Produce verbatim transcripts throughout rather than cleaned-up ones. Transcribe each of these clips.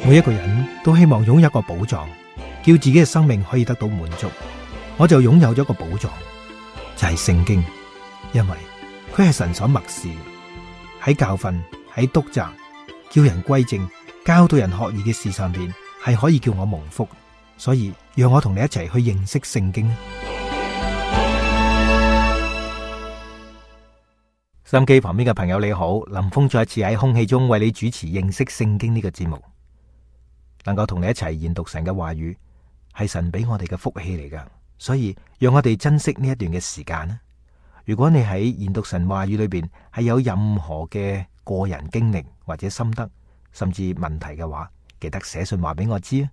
每一個人都希望擁有一個寶藏，叫自己嘅生命可以得到滿足。我就擁有咗個寶藏，就係聖經，因為佢係神所默示，喺教訓、喺督責、叫人歸正、教導人學義嘅事上邊，係可以叫我蒙福。所以讓我同你一齊去認識聖經。收音機旁邊嘅朋友你好，林峰再一次喺空氣中為你主持認識聖經呢個節目。能夠同你一齊研讀神嘅話語，係神俾我哋嘅福氣嚟噶，所以讓我哋珍惜呢一段嘅時間啦。如果你喺研讀神話語裏邊係有任何嘅個人經歷或者心得，甚至問題嘅話，記得寫信話俾我知啊。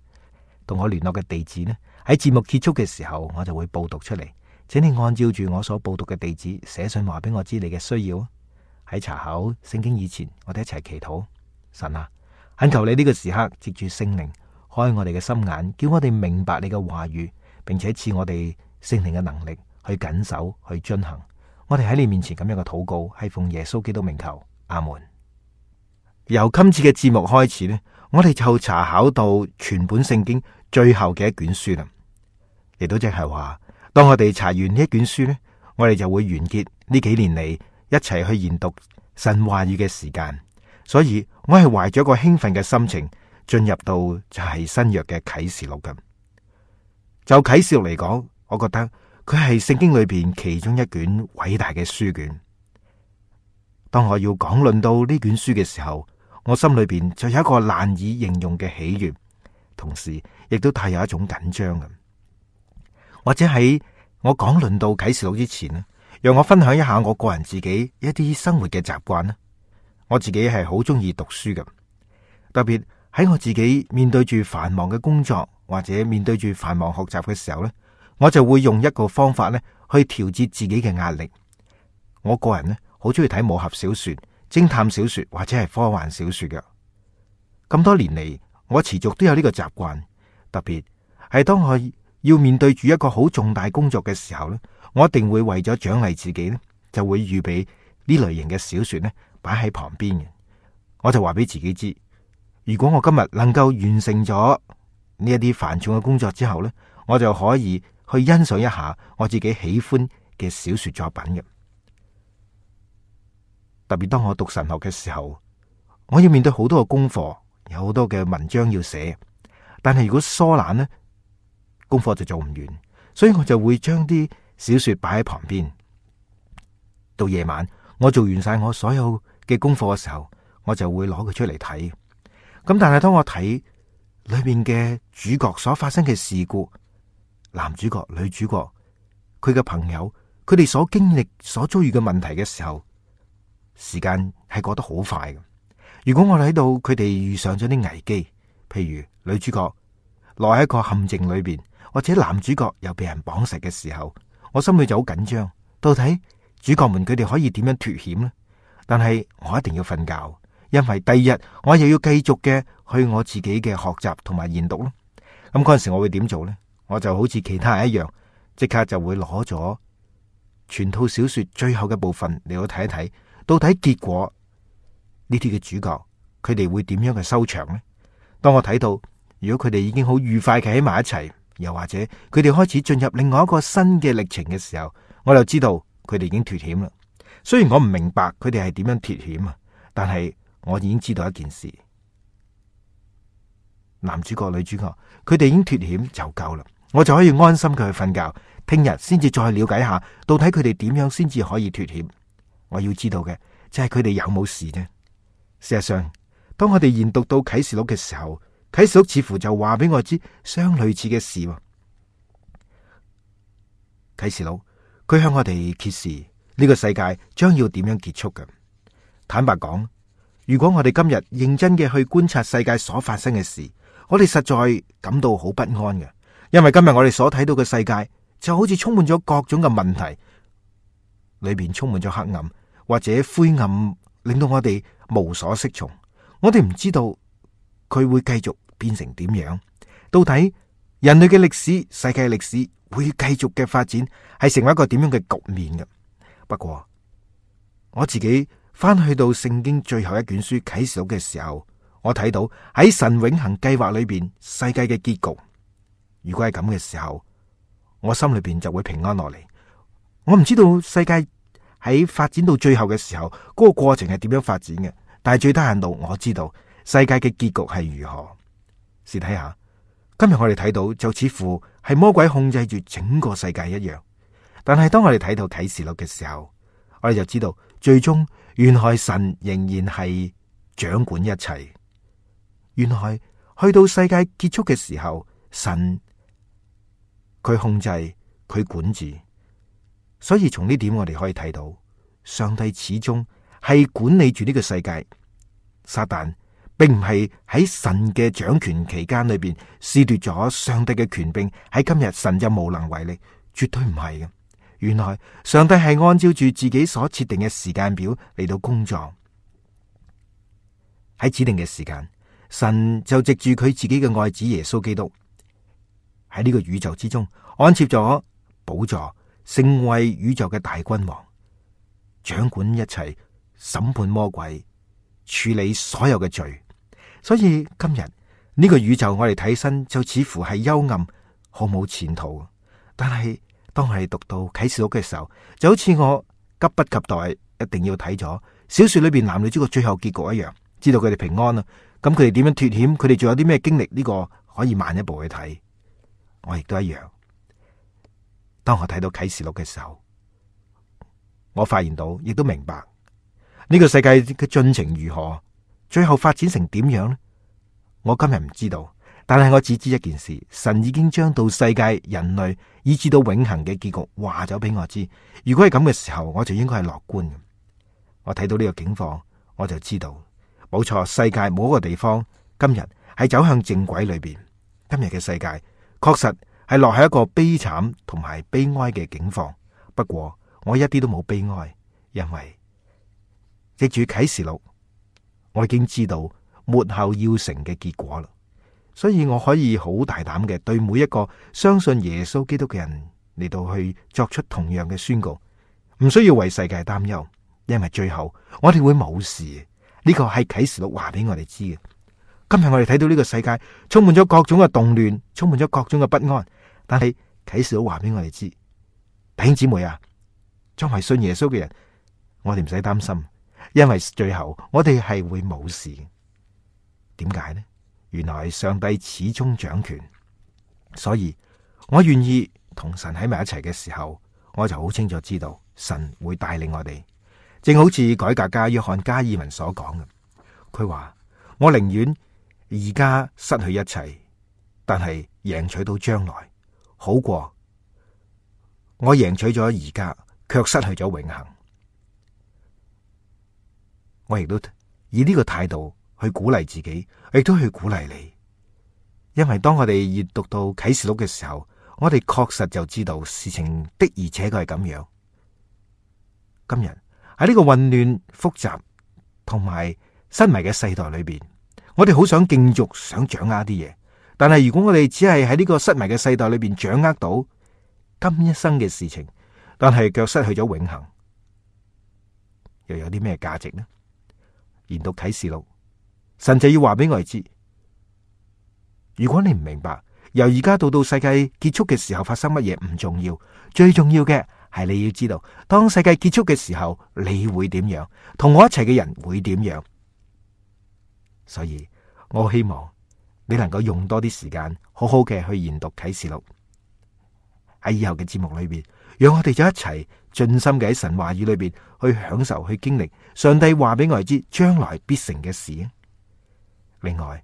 同我聯絡嘅地址呢，喺節目結束嘅時候我就會報讀出嚟，請你按照住我所報讀嘅地址寫信話俾我知你嘅需要。喺查考聖經以前，我哋一齊祈禱。神啊，懇求你呢個時刻藉住聖靈開我哋嘅心眼，叫我哋明白你嘅話語，並且賜我哋聖靈嘅能力去謹守去遵行。我哋喺你面前咁樣嘅禱告，係奉耶穌基督名求，阿門。由今次嘅節目開始呢，我哋就查考到全本聖經最後嘅一卷書啦。亦都即係話，當我哋查完呢一卷書呢，我哋就會完結呢幾年嚟一齊去研讀神話語嘅時間。所以我係懷咗一個興奮嘅心情進入到就係新約嘅啟示錄嘅。就啟示錄嚟講，我覺得佢係聖經裏邊其中一卷偉大嘅書卷。當我要講論到呢卷書嘅時候，我心裏邊就有一個難以形容嘅喜悅，同時亦都帶有一種緊張嘅。或者喺我講論到啟示錄之前呢，讓我分享一下我個人自己一啲生活嘅習慣啦。我自己係好中意讀書嘅，特別喺我自己面對住繁忙嘅工作或者面對住繁忙學習嘅時候呢，我就會用一個方法呢去調節自己嘅壓力。我個人呢好中意睇武俠小說、偵探小說或者係科幻小說嘅。咁多年嚟，我持續都有呢個習慣，特別係當我要面對住一個好重大工作嘅時候呢，我一定會為咗獎勵自己呢，就會預備呢類型嘅小說呢擺喺旁邊嘅。我就話俾自己知，如果我今日能夠完成咗呢一啲繁重嘅工作之後呢，我就可以去欣賞一下我自己喜歡嘅小說作品嘅。特別當我讀神學嘅時候，我要面對好多嘅功課，有好多嘅文章要寫，但係如果疏懶呢，功課就做唔完，所以我就會將啲小說擺喺旁邊。到夜晚，我做完晒我所有嘅功課嘅時候，我就會攞佢出嚟睇。咁但係當我睇裏面嘅主角所發生嘅事故，男主角、女主角，佢嘅朋友，佢哋所經歷、所遭遇嘅問題嘅時候，時間係過得好快嘅。如果我睇到佢哋遇上咗啲危機，譬如女主角落喺一個陷阱裏邊，或者男主角又被人綁實嘅時候，我心裏就好緊張。到底主角們佢哋可以點樣脫險呢？但係我一定要瞓覺，因為第二日我又要繼續嘅去我自己嘅學習同埋研讀咯。咁嗰陣時我會點做呢？我就好似其他人一樣，即刻就會攞咗全套小說最後嘅部分嚟到睇一睇，到底結果呢啲嘅主角佢哋會點樣嘅收場呢？當我睇到如果佢哋已經好愉快嘅喺埋一齊，又或者佢哋開始進入另外一個新嘅歷程嘅時候，我就知道佢哋已經脫險啦。雖然我唔明白佢哋係點樣脫險啊，但係我已經知道一件事：男主角、女主角，佢哋已經脫險就夠啦，我就可以安心佢去瞓覺。聽日先至再了解下，到底佢哋點樣先至可以脫險。我要知道嘅就係佢哋有冇事啫。事實上，當我哋研讀到啟示錄嘅時候，啟示錄似乎就話俾我知相類似嘅事。啟示錄佢向我哋揭示呢個世界將要點樣結束嘅。坦白講，如果我哋今日認真嘅去觀察世界所發生嘅事，我哋實在感到好不安嘅，因為今日我哋所睇到嘅世界就好似充滿咗各種嘅問題，裏邊充滿咗黑暗或者灰暗，令到我哋無所適從。我哋唔知道佢會繼續變成點樣，到底人類嘅歷史、世界歷史會繼續嘅發展係成為一個點樣嘅局面嘅。不過我自己翻去到聖經最後一卷書啟示錄嘅時候，我睇到喺神永恆計劃裏邊世界嘅結局。如果係咁嘅時候，我心裏邊就會平安落嚟。我唔知道世界喺發展到最後嘅時候，嗰個過程係點樣發展嘅，但係最低限度我知道世界嘅結局係如何。試睇下，今日我哋睇到就似乎係魔鬼控制住整個世界一樣，但係當我哋睇到啟示錄嘅時候，我哋就知道最終原來神仍然係掌管一切。原來去到世界結束嘅時候，神佢控制，佢管治。所以從呢點我哋可以睇到，上帝始終係管理住呢個世界。撒旦並唔係喺神嘅掌權期間裏邊剝奪咗上帝嘅權柄，喺今日神就無能為力，絕對唔係嘅。原來上帝係按照住自己所設定嘅時間表嚟到工作，喺指定嘅時間，神就藉住佢自己嘅愛子耶穌基督喺呢個宇宙之中安設咗寶座，成為宇宙嘅大君王，掌管一切，審判魔鬼，處理所有嘅罪。所以今日呢個宇宙我哋睇身就似乎係幽暗，毫無前途。但係當我哋讀到啟示錄嘅時候，就好似我急不及待一定要睇咗小說裏邊男女主角最後結局一樣，知道佢哋平安啦。咁佢哋點樣脫險？佢哋仲有啲咩經歷？呢個可以慢一步去睇。我亦都一樣。當我睇到啟示錄嘅時候，我發現到，亦都明白呢個世界嘅進程如何，最後發展成點樣呢？我今日唔知道，但係我只知一件事：神已經將到世界、人類以至到永恆嘅結局話咗俾我知。如果係咁嘅時候，我就應該係樂觀嘅。我睇到呢個境況，我就知道冇錯，世界冇一個地方今日係走向正軌裏邊。今日嘅世界確實係落喺一個悲慘同埋悲哀嘅境況。不過我一啲都冇悲哀，因為藉住啟示錄，我已經知道末後要成嘅結果啦。所以我可以好大膽嘅對每一個相信耶穌基督嘅人嚟到去作出同樣嘅宣告，唔需要為世界擔憂，因為最後我哋會冇事。呢個係啟示錄話俾我哋知嘅。今日我哋睇到呢個世界充滿咗各種嘅動亂，充滿咗各種嘅不安，但係啟示錄話俾我哋知，弟兄姊妹啊，作為信耶穌嘅人，我哋唔使擔心，因為最後我哋係會冇事。點解呢？原來上帝始終掌權，所以我願意同神喺埋一齊嘅時候，我就好清楚知道神會帶領我哋。正好似改革家約翰加爾文所講嘅，佢話我寧願而家失去一切，但係贏取到將來，好過我贏取咗而家卻失去咗永恆。我亦都以呢個態度去鼓勵自己，亦都去鼓勵你。因為當我哋閱讀到啟示錄嘅時候，我哋確實就知道事情的而且確係咁樣。今日喺呢個混亂複雜同埋失迷嘅世代裏邊，我哋好想競逐，想掌握啲嘢。但係如果我哋只係喺呢個失迷嘅世代裏邊掌握到今一生嘅事情，但係卻失去咗永恆，又有啲咩價值呢？研讀啟示錄，神就要話俾我哋知，如果你唔明白，由而家到到世界結束嘅時候發生乜嘢唔重要，最重要嘅係你要知道，當世界結束嘅時候，你會點樣，同我一齊嘅人會點樣。所以我希望你能夠用多啲時間，好好嘅去研讀啟示錄。喺以後嘅節目裏邊，讓我哋就一齊盡心嘅喺神話語裏邊去享受、去經歷上帝話俾我哋知將來必成嘅事。另外，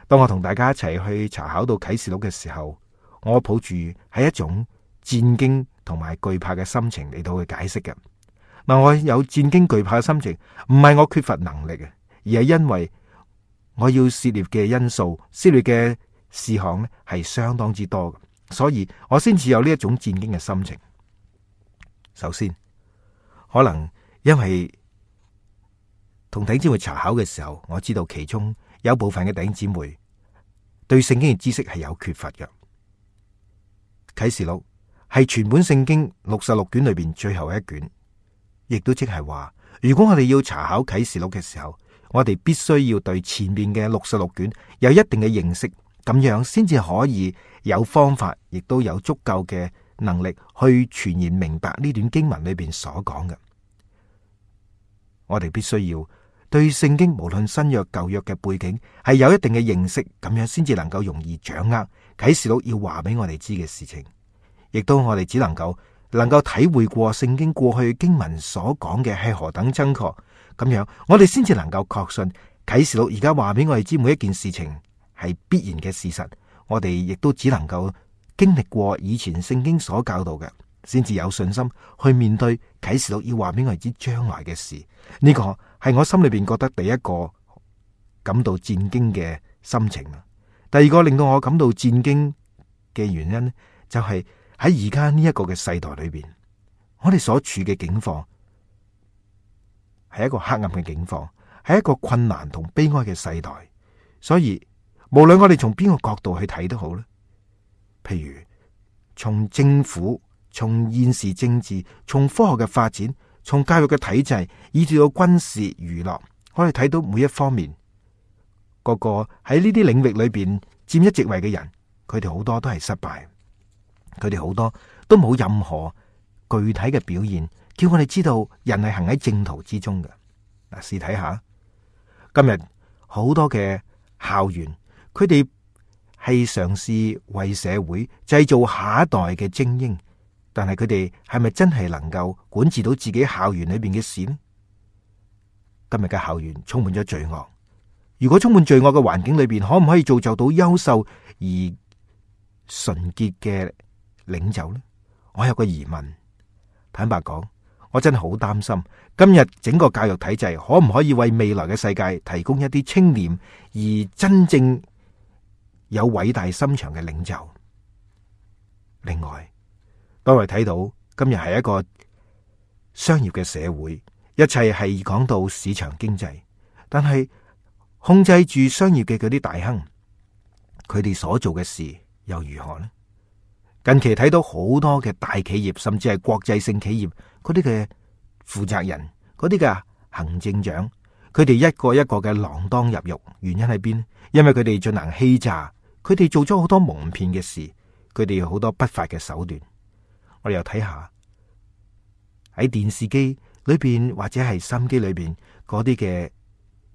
當我同大家一齊去查考到啟示錄嘅時候，我抱住係一種戰驚同埋懼怕嘅心情嚟到去解釋嘅。嗱，我有戰驚懼怕嘅心情，唔係我缺乏能力嘅，而係因為我要涉獵嘅因素、涉獵嘅事項咧係相當之多嘅，所以我先至有呢一種戰驚嘅心情。首先，可能因為同弟兄姊妹查考嘅時候，我知道其中有部分嘅弟兄姊妹對聖經嘅知識係有缺乏嘅。啟示錄係全本聖經六十六卷裏邊最後一卷，亦都即係話，如果我哋要查考啟示錄嘅時候，我哋必須要對前面嘅六十六卷有一定嘅認識，咁樣先至可以有方法，亦都有足夠嘅能力去全然明白呢段經文裏邊所講嘅。我哋必須要對聖經無論新約舊約嘅背景係有一定嘅認識，咁樣先至能夠容易掌握啟示錄要話俾我哋知嘅事情，亦都我哋只能夠能夠體會過聖經過去經文所講嘅係何等真確，咁樣我哋先至能夠確信啟示錄而家話俾我哋知每一件事情係必然嘅事實。我哋亦都只能夠經歷過以前聖經所教導嘅，先至有信心去面對啟示錄要話俾我哋知將來嘅事。呢個係我心裏邊覺得第一個感到戰驚嘅心情。第二個令到我感到戰驚嘅原因，就係喺而家呢一個嘅世代裏邊，我哋所處嘅境況係一個黑暗嘅境況，係一個困難同悲哀嘅世代。所以無論我哋從邊個角度去睇都好咧，譬如從政府、從現時政治、從科學嘅發展、從教育嘅體制，以至到軍事娛樂，我哋睇到每一方面，個個喺呢啲領域裏邊佔一席位嘅人，佢哋好多都係失敗，佢哋好多都冇任何具體嘅表現，叫我哋知道人係行喺正途之中嘅。嗱，試睇下今日好多嘅校園，佢哋係嘗試為社會製造下一代嘅精英，但係佢哋係咪真係能夠管治到自己校園裏邊嘅事呢？今日嘅校園充滿咗罪惡，如果充滿罪惡嘅環境裏邊，可唔可以造就到優秀而純潔嘅領袖呢？我有個疑問。坦白講，我真係好擔心今日整個教育體制可唔可以為未來嘅世界提供一啲清廉而真正有偉大心腸嘅領袖。另外，當我哋睇到今日係一個商業嘅社會，一切係講到市場經濟，但係控制住商業嘅嗰啲大亨，佢哋所做嘅事又如何呢？近期睇到好多嘅大企業，甚至係國際性企業嗰啲嘅負責人，嗰啲嘅行政長，佢哋一個一個嘅鋃鐺入獄，原因喺邊？因為佢哋進行欺詐，佢哋做咗好多蒙騙嘅事，佢哋有好多不法嘅手段。我哋又睇下喺電視機裏邊或者係收音機裏邊嗰啲嘅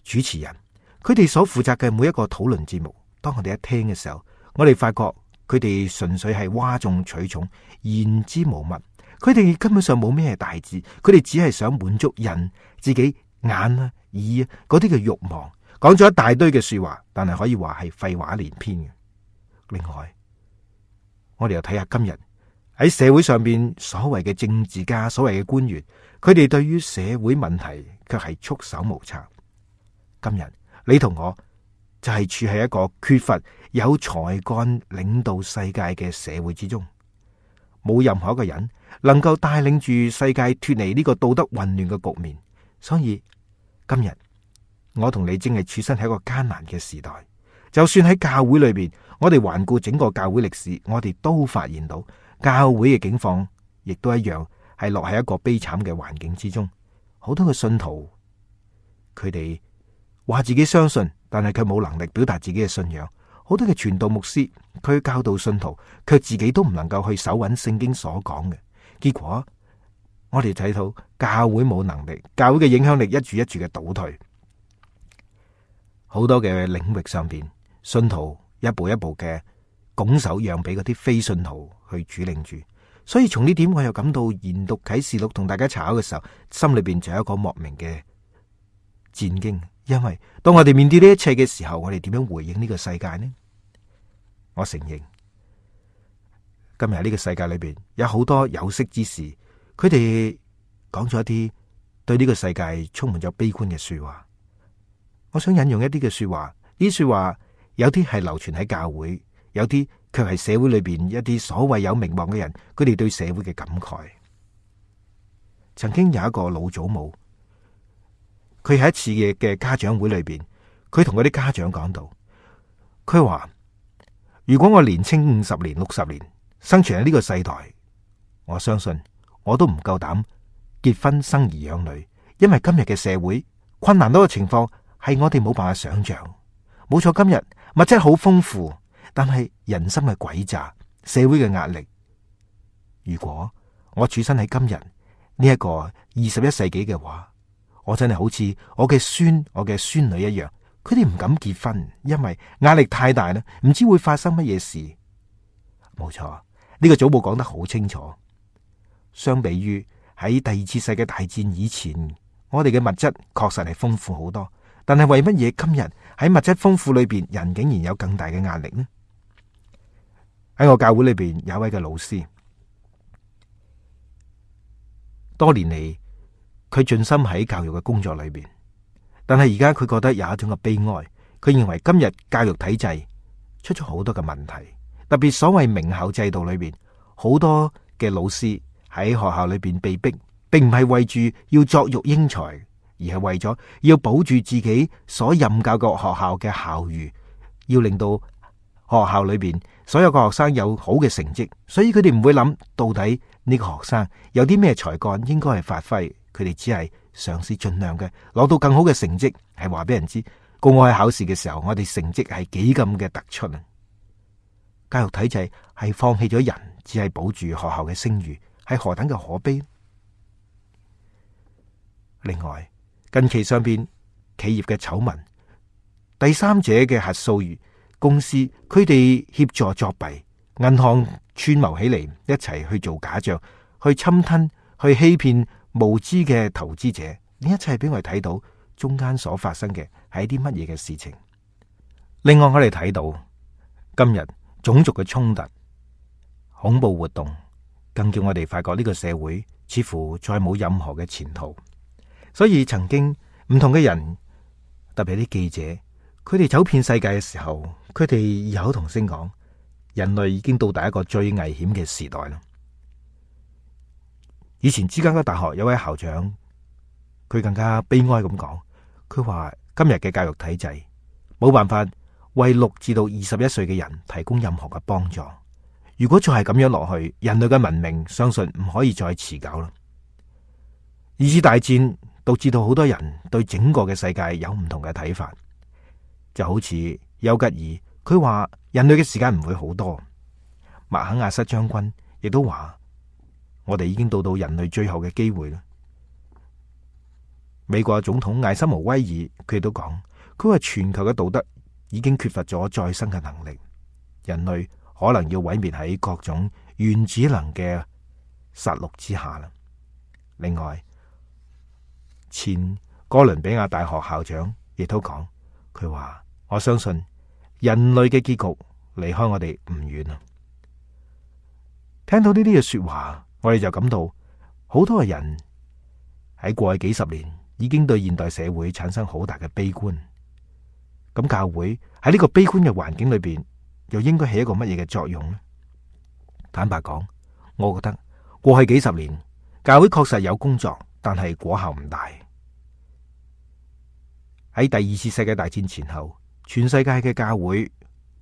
主持人，佢哋所負責嘅每一個討論節目，當我哋一聽嘅時候，我哋發覺佢哋純粹係嘩眾取寵，言之無物。佢哋根本上冇咩大志，佢哋只係想滿足人自己眼啊、耳啊嗰啲嘅慾望，講咗一大堆嘅說話，但係可以話係廢話連篇嘅。另外，我哋又睇下今日喺社會上邊所謂嘅政治家、所謂嘅官員，佢哋對於社會問題卻係束手無策。今日你同我就係處喺一個缺乏有才幹領導世界嘅社會之中，冇任何一個人能夠帶領住世界脫離呢個道德混亂嘅局面。所以今日我同你正係處身喺一個艱難嘅時代。就算喺教會裏邊，我哋環顧整個教會歷史，我哋都發現到教會嘅境況亦都一樣係落喺一個悲慘嘅環境之中。好多嘅信徒，佢哋話自己相信，但係佢冇能力表達自己嘅信仰。好多嘅傳道牧師，佢教導信徒，卻自己都唔能夠去守穩聖經所講嘅。結果我哋睇到教會冇能力，教會嘅影響力一住一住嘅倒退。好多嘅領域上邊，信徒一步一步嘅拱手讓俾嗰啲非信徒去主領住。所以從呢點，我又感到研讀啟示錄同大家查考嘅時候，心裏邊就有一個莫名嘅戰驚。因為當我哋面對呢一切嘅時候，我哋點樣回應呢個世界呢？我承認今日呢個世界裏邊有好多有識之士，佢哋講咗一啲對呢個世界充滿咗悲觀嘅說話。我想引用一啲嘅說話，呢啲說話有啲係流傳喺教會，有啲卻係社會裏邊一啲所謂有名望嘅人，佢哋對社會嘅感慨。曾經有一個老祖母，佢喺一次嘅嘅家長會裏邊，佢同嗰啲家長講到，佢話：如果我年青五十年、六十年，生存喺呢個世代，我相信我都唔夠膽結婚生兒養女，因為今日嘅社會困難到嘅情況係我哋冇辦法想象。冇錯，今日物質好豐富，但係人心嘅詭詐，社會嘅壓力。如果我處身喺今日呢一個二十一世紀嘅話，我真係好似我嘅孫、我嘅孫女一樣，佢哋唔敢結婚，因為壓力太大啦，唔知會發生乜嘢事。冇錯，呢個祖母講得好清楚。相比於喺第二次世界大戰以前，我哋嘅物質確實係豐富好多，但係為乜嘢今日喺物質豐富裏邊，人竟然有更大嘅壓力呢？喺我教會裏邊有一位嘅老師，多年嚟佢盡心喺教育嘅工作裏邊，但係而家佢覺得有一種嘅悲哀。佢認為今日教育體制出咗好多嘅問題，特別所謂名校制度裏邊，好多嘅老師喺學校裏邊被逼，並唔係為住要作育英才，而係為咗要保住自己所任教嘅學校嘅校譽，要令到學校裏邊所有嘅學生有好嘅成績。所以佢哋唔會諗到底呢個學生有啲咩才幹應該係發揮，佢哋只係嘗試盡量嘅攞到更好嘅成績，係話俾人知，公開考試嘅時候，我哋成績係幾咁嘅突出啊！教育體制係放棄咗人，只係保住學校嘅聲譽，係何等嘅可悲。另外，近期上邊企業嘅醜聞，第三者嘅核數公司，佢哋協助作弊，銀行串謀起嚟，一齊去做假賬，去侵吞，去欺騙無知嘅投資者。呢一切俾我哋睇到中間所發生嘅係一啲乜嘢嘅事情。另外，我哋睇到今日種族嘅衝突、恐怖活動，更叫我哋發覺呢個社會似乎再冇任何嘅前途。所以曾經唔同嘅人，特別係啲記者，佢哋走遍世界嘅時候，佢哋異口同聲講，人類已經到達一個最危險嘅時代啦。以前芝加哥大學有位校長，佢更加悲哀咁講，佢話今日嘅教育體制冇辦法為六至到二十一歲嘅人提供任何嘅幫助。如果再係咁樣落去，人類嘅文明相信唔可以再持久啦。二次大戰導致到好多人對整個嘅世界有唔同嘅睇法，就好似丘吉爾，佢話人類嘅時間唔會好多。麥肯亞瑟將軍亦都話，我哋已經到到人類最後嘅機會啦。美國總統艾森豪威爾佢亦都講，佢話全球嘅道德已經缺乏咗再生嘅能力，人類可能要毀滅喺各種原子能嘅殺戮之下啦。另外，前哥倫比亞大學校長亦都講，佢話我相信人類嘅結局離開我哋唔遠啊。聽到呢啲嘅說話，我哋就感到好多嘅人喺過去幾十年已經對現代社會產生好大嘅悲觀。咁教會喺呢個悲觀嘅環境裏邊，又應該起一個乜嘢嘅作用呢？坦白講，我覺得過去幾十年教會確實有工作，但係果效唔大。喺第二次世界大戰前後，全世界嘅教會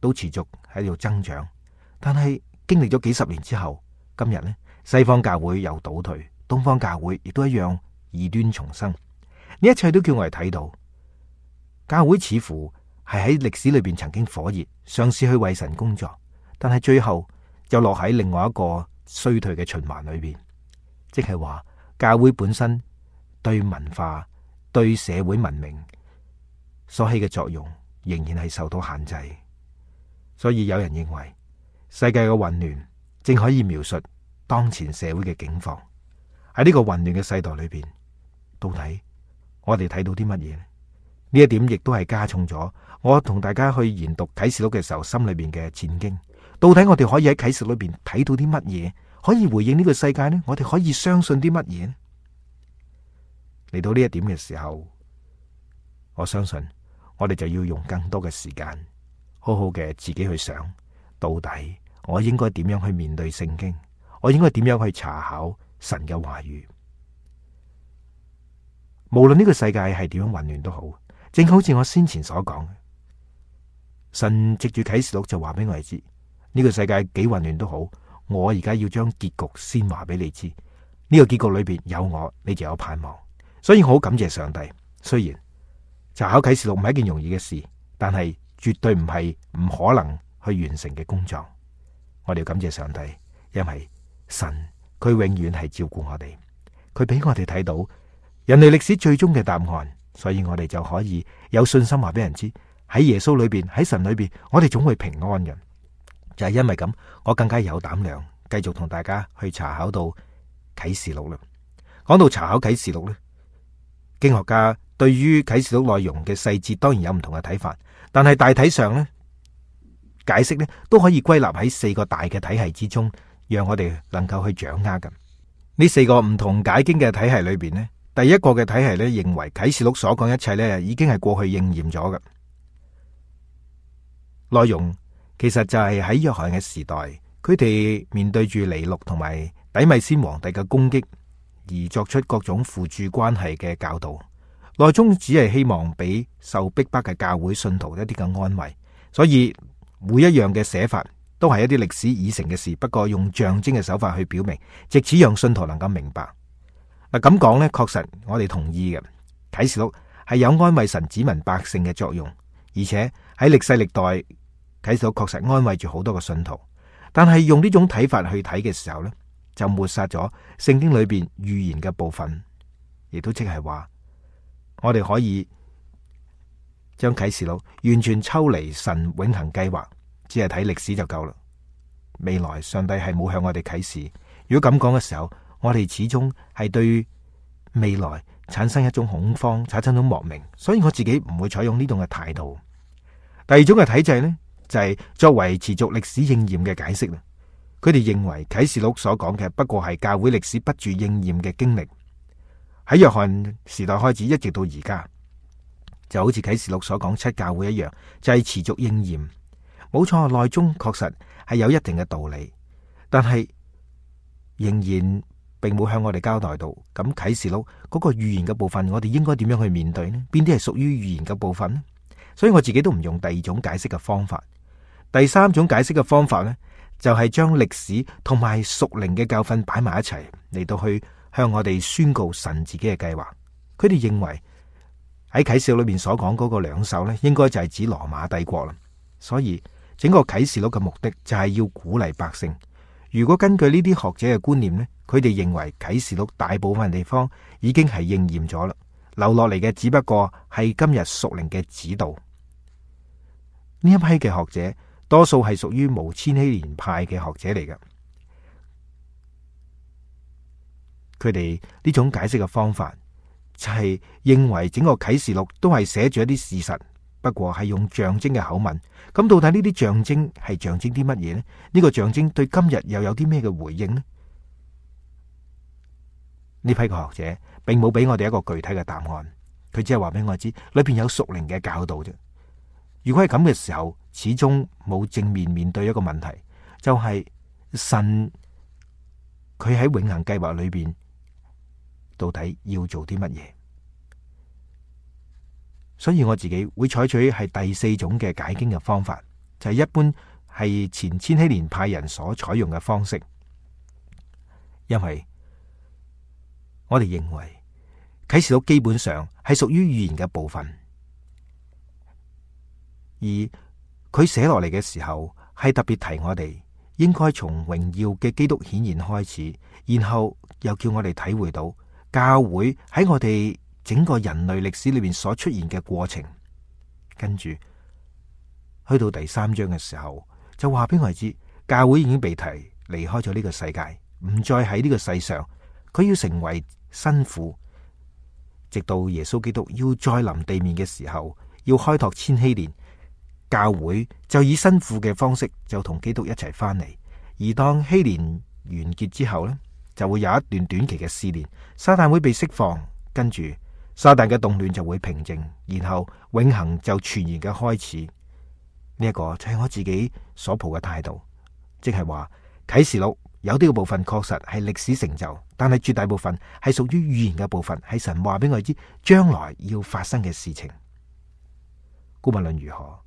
都持續喺度增長，但係經歷咗幾十年之後，今日呢，西方教會又倒退，東方教會亦都一樣異端重生。呢一切都叫我哋睇到，教會似乎係喺歷史裏邊曾經火熱，嘗試去為神工作，但係最後就落喺另外一個衰退嘅循環裏邊，即係話教會本身對文化、對社會文明所起嘅作用仍然係受到限制。所以有人認為世界嘅混亂正可以描述當前社會嘅境況。喺呢個混亂嘅世代裏邊，到底我哋睇到啲乜嘢呢？呢一點亦都係加重咗我同大家去研讀啟示錄嘅時候心裏邊嘅戰驚。到底我哋可以喺啟示錄裏邊睇到啲乜嘢，可以回應呢個世界呢？我哋可以相信啲乜嘢呢？嚟到呢一點嘅時候，我相信我哋就要用更多嘅時間，好好嘅自己去想，到底我應該點樣去面對聖經，我應該點樣去查考神嘅話語。無論呢個世界係點樣混亂都好，正好似我先前所講，神藉住啟示錄就話俾我哋知，呢個世界幾混亂都好，我而家要將結局先話俾你知。呢個結局裏邊有我，你就有盼望。所以我好感謝上帝。雖然查考啟示錄唔係一件容易嘅事，但係絕對唔係唔可能去完成嘅工作。我哋要感謝上帝，因為神佢永遠係照顧我哋，佢俾我哋睇到人類歷史最終嘅答案，所以我哋就可以有信心話俾人知，喺耶穌裏邊，喺神裏邊，我哋總會平安嘅。就係因為咁，我更加有膽量繼續同大家去查考到啟示錄啦。講到查考啟示錄呢，經學家對於啟示錄內容嘅細節當然有唔同嘅睇法，但係大體上呢，解釋呢都可以歸納喺四個大嘅體系之中，讓我哋能夠去掌握嘅。呢四個唔同解經嘅體系裏邊呢，第一個嘅體系呢認為啟示錄所講一切呢已經係過去應驗咗嘅內容。其實就係喺約翰嘅時代，佢哋面對住尼祿同埋底米先皇帝嘅攻擊，而作出各種輔助關係嘅教導，內中只係希望俾受逼迫嘅教會信徒一啲嘅安慰。所以每一樣嘅寫法都係一啲歷史已成嘅事，不過用象徵嘅手法去表明，藉此讓信徒能夠明白。嗱，咁講呢，確實我哋同意嘅，啟示錄係有安慰神子民百姓嘅作用，而且喺歷世歷代，啟示錄確實安慰住好多個信徒。但係用呢種睇法去睇嘅時候呢，就抹殺咗聖經裏邊預言嘅部分，亦都即係話我哋可以將啟示錄完全抽離神永恆計劃，只係睇歷史就夠啦。未來上帝係冇向我哋啟示。如果咁講嘅時候，我哋始終係對未來產生一種恐慌，產生一種莫名，所以我自己唔會採用呢種嘅態度。第二種嘅體制呢，就係作為持續歷史應驗嘅解釋啦。佢哋認為啟示錄所講嘅不過係教會歷史不住應驗嘅經歷，喺約翰時代開始一直到而家，就好似啟示錄所講七教會一樣，就係持續應驗。冇錯，內中確實係有一定嘅道理，但係仍然並冇向我哋交代到。咁啟示錄嗰個預言嘅部分，我哋應該點樣去面對呢？邊啲係屬於預言嘅部分呢？所以我自己都唔用第二種解釋嘅方法。第三種解釋嘅方法呢，就係將歷史同埋屬靈嘅教訓擺埋一齊，嚟到去向我哋宣告神自己嘅計劃。佢哋認為喺啟示錄裏面所講嗰個兩手呢，應該就係指羅馬帝國啦。所以整個啟示錄嘅目的就係要鼓勵百姓。如果根據呢啲學者嘅觀念呢，佢哋認為啟示錄大部分地方已經係應驗咗啦，留落嚟嘅只不過係今日屬靈嘅指導。呢一批嘅學者多數係屬於無千禧年派嘅學者嚟嘅，佢哋呢種解釋嘅方法就係認為整個啟示錄都係寫住一啲事實，不過係用象徵嘅口吻。咁到底呢啲象徵係象徵啲乜嘢呢？呢個象徵對今日又有啲咩嘅回應呢？呢批嘅學者並冇俾我哋一個具體嘅答案，佢只係話俾我知裏邊有屬靈嘅教導啫。如果係咁嘅時候，始終冇正面面對一個問題，就係神佢喺永恆計劃裏邊到底要做啲乜嘢？所以我自己會採取係第四種嘅解經嘅方法，就係一般係前千禧年派人所採用嘅方式，因為我哋認為啟示錄基本上係屬於預言嘅部分。而佢寫落嚟嘅時候，係特別提我哋應該從榮耀嘅基督顯現開始，然後又叫我哋體會到教會喺我哋整個人類歷史裏面所出現嘅過程。跟住去到第三章嘅時候，就話俾我哋知，教會已經被提離開咗呢個世界，唔再喺呢個世上，佢要成為新婦，直到耶穌基督要再臨地面嘅時候，要開拓千禧年。教會就以新婦嘅方式就同基督一齊翻嚟，而當禧年完結之後呢，就會有一段短期嘅試煉，撒旦會被釋放，跟住撒旦嘅動亂就會平靜，然後永恆就全然嘅開始。呢、這、一個就係我自己所抱嘅態度，即係話啟示錄有啲嘅部分確實係歷史成就，但係絕大部分係屬於預言嘅部分，係神話俾我哋知將來要發生嘅事情。無論如何，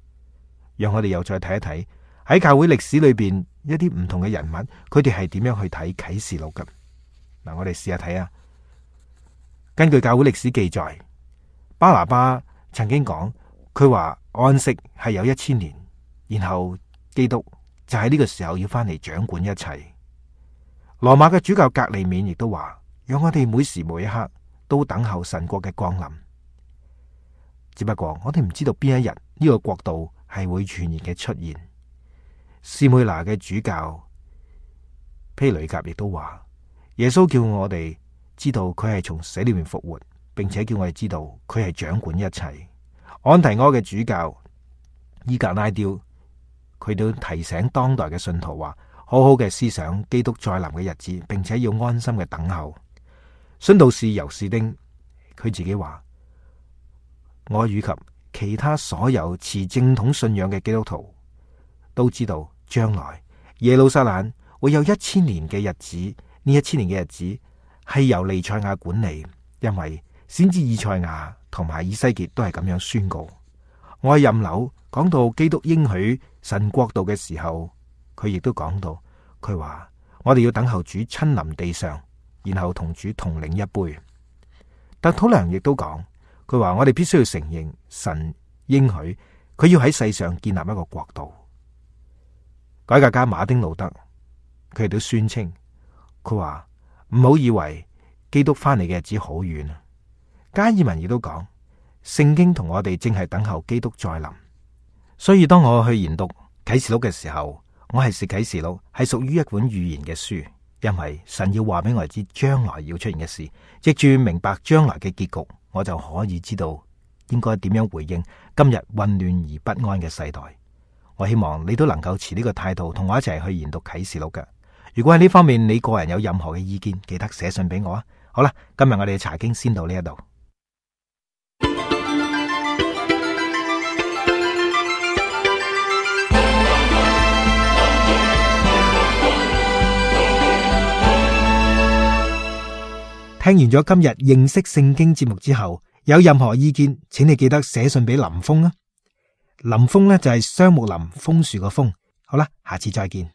讓我哋又再睇一睇喺教會歷史裏邊一啲唔同嘅人物，佢哋係點樣去睇啟示錄嘅。嗱，我哋試下睇啊。根據教會歷史記載，巴拿巴曾經講，佢話安息係有一千年，然後基督就喺呢個時候要翻嚟掌管一切。羅馬嘅主教格利勉亦都話，讓我哋每時每一刻都等候神國嘅降臨。只不過我哋唔知道邊一日呢個國度係會全然嘅出現。士妹拿嘅主教披雷甲亦都話，耶穌叫我哋知道佢係從死裏面復活，並且叫我哋知道佢係掌管一切。安提阿嘅主教伊格拉雕，佢都提醒當代嘅信徒話，好好嘅思想基督再臨嘅日子，並且要安心嘅等候。殉道士尤士丁佢自己話，我以及其他所有持正統信仰嘅基督徒都知道，將來耶路撒冷會有一千年嘅日子，呢一千年嘅日子係由彌賽亞管理，因為先知以賽亞同埋以西結都係咁樣宣告。我喺任樓講到基督應許神國度嘅時候，佢亦都講到，佢話我哋要等候主親臨地上，然後同主同領一杯。但土良亦都講，佢話我哋必須要承認神應許佢要喺世上建立一個國度。改革家馬丁路德佢亦都宣稱，佢話唔好以為基督翻嚟嘅日子好遠啊。加爾文亦都講，聖經同我哋正係等候基督再臨。所以當我去研讀啟示錄嘅時候，我係視啟示錄係屬於一本預言嘅書，因為神要話俾我哋知將來要出現嘅事，藉住明白將來嘅結局，我就可以知道應該點樣回應今日混亂而不安嘅世代。我希望你都能夠持呢個態度同我一齊去研讀啟示錄嘅。如果喺呢方面你個人有任何嘅意見，記得寫信俾我啊。好啦，今日我哋嘅查經先到呢一度。聽完咗今日認識聖經節目之後，有任何意見，請你記得寫信俾林峰啊。林峰呢就係雙木林楓樹個楓。好啦，下次再見。